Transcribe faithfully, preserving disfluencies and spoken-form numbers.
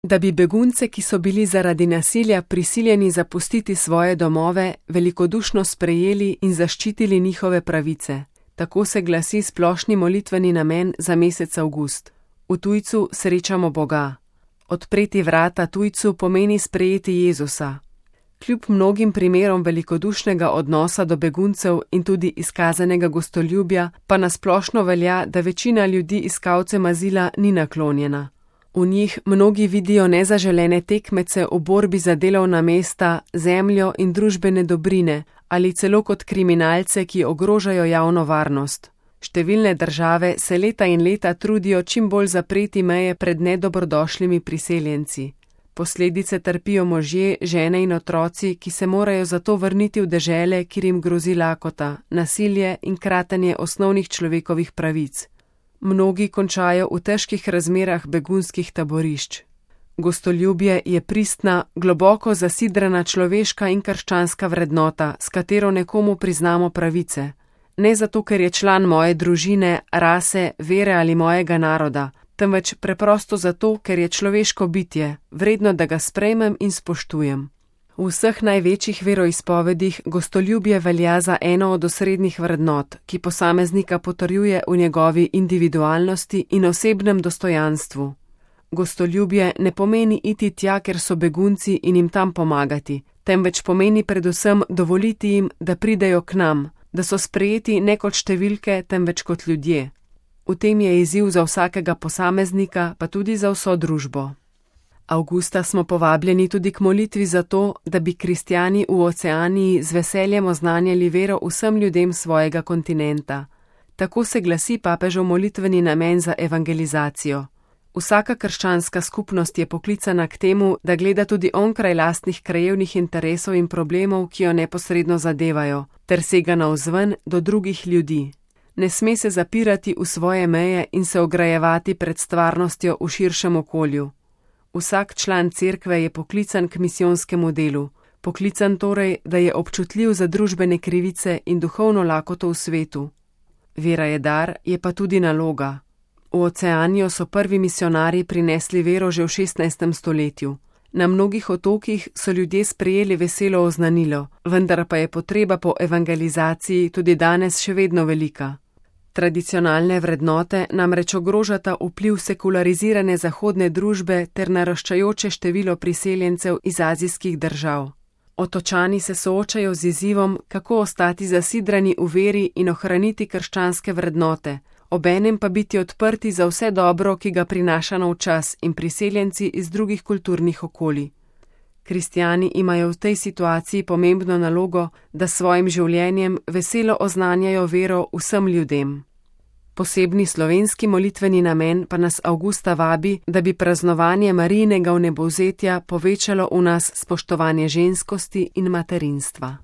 Da bi begunce, ki so bili zaradi nasilja prisiljeni zapustiti svoje domove, velikodušno sprejeli in zaščitili njihove pravice. Tako se glasi splošni molitveni namen za mesec avgust. V tujcu srečamo Boga. Odpreti vrata tujcu pomeni sprejeti Jezusa. Kljub mnogim primerom velikodušnega odnosa do beguncev in tudi izkazanega gostoljubja, pa nasplošno velja, da večina ljudi iskalcem azila ni naklonjena. V njih mnogi vidijo nezaželene tekmece v borbi za delovna mesta, zemljo in družbene dobrine ali celo kot kriminalce, ki ogrožajo javno varnost. Številne države se leta in leta trudijo čim bolj zapreti meje pred nedobrodošlimi priseljenci. Posledice trpijo možje, žene in otroci, ki se morajo zato vrniti v dežele, kjer jim grozi lakota, nasilje in kratenje osnovnih človekovih pravic. Mnogi končajo v težkih razmerah begunskih taborišč. Gostoljubje je pristna, globoko zasidrana človeška in krščanska vrednota, s katero nekomu priznamo pravice. Ne zato, ker je član moje družine, rase, vere ali mojega naroda, temveč preprosto zato, ker je človeško bitje, vredno, da ga sprejmem in spoštujem. V vseh največjih veroizpovedih gostoljubje velja za eno od osrednjih vrednot, ki posameznika potrjuje v njegovi individualnosti in osebnem dostojanstvu. Gostoljubje ne pomeni iti tja, ker so begunci in jim tam pomagati, temveč pomeni predvsem dovoliti jim, da pridejo k nam, da so sprejeti ne kot številke, temveč kot ljudje. V tem je izziv za vsakega posameznika, pa tudi za vso družbo. Avgusta smo povabljeni tudi k molitvi za to, da bi kristjani v Oceaniji z veseljem oznanjali vero vsem ljudem svojega kontinenta. Tako se glasi papežev molitveni namen za evangelizacijo. Vsaka krščanska skupnost je poklicana k temu, da gleda tudi onkraj lastnih krajevnih interesov in problemov, ki jo neposredno zadevajo, ter sega navzven do drugih ljudi. Ne sme se zapirati v svoje meje in se ograjevati pred stvarnostjo v širšem okolju. Vsak član cerkve je poklican k misijonskemu delu, poklican torej, da je občutljiv za družbene krivice in duhovno lakoto v svetu. Vera je dar, je pa tudi naloga. V Oceanijo so prvi misionarji prinesli vero že v šestnajstem stoletju. Na mnogih otokih so ljudje sprejeli veselo oznanilo, vendar pa je potreba po evangelizaciji tudi danes še vedno velika. Tradicionalne vrednote namreč ogrožata vpliv sekularizirane zahodne družbe ter naraščajoče število priseljencev iz azijskih držav. Otočani se soočajo z izzivom, kako ostati zasidrani v veri in ohraniti krščanske vrednote, obenem pa biti odprti za vse dobro, ki ga prinaša nov čas in priseljenci iz drugih kulturnih okolij. Kristjani imajo v tej situaciji pomembno nalogo, da s svojim življenjem veselo oznanjajo vero vsem ljudem. Posebni slovenski molitveni namen pa nas avgusta vabi, da bi praznovanje Marijinega vnebovzetja povečalo v nas spoštovanje ženskosti in materinstva.